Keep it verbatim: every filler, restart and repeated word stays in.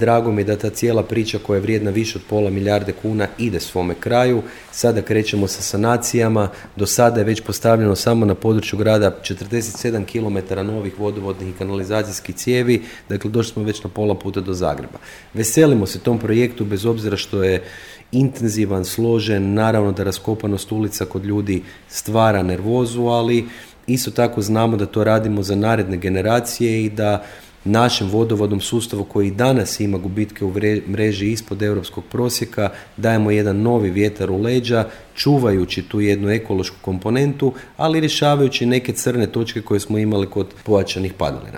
Drago mi je da ta cijela priča koja je vrijedna više od pola milijarde kuna ide svome kraju. Sada krećemo sa sanacijama. Do sada je već postavljeno samo na području grada četrdeset sedam kilometara novih vodovodnih i kanalizacijskih cijevi. Dakle, došli smo već na pola puta do Zagreba. Veselimo se tom projektu bez obzira što je intenzivan, složen. Naravno da raskopanost ulica kod ljudi stvara nervozu, ali isto tako znamo da to radimo za naredne generacije i da našem vodovodnom sustavu koji danas ima gubitke u mreži ispod europskog prosjeka dajemo jedan novi vjetar u leđa, čuvajući tu jednu ekološku komponentu, ali rješavajući neke crne točke koje smo imali kod pojačanih padalina.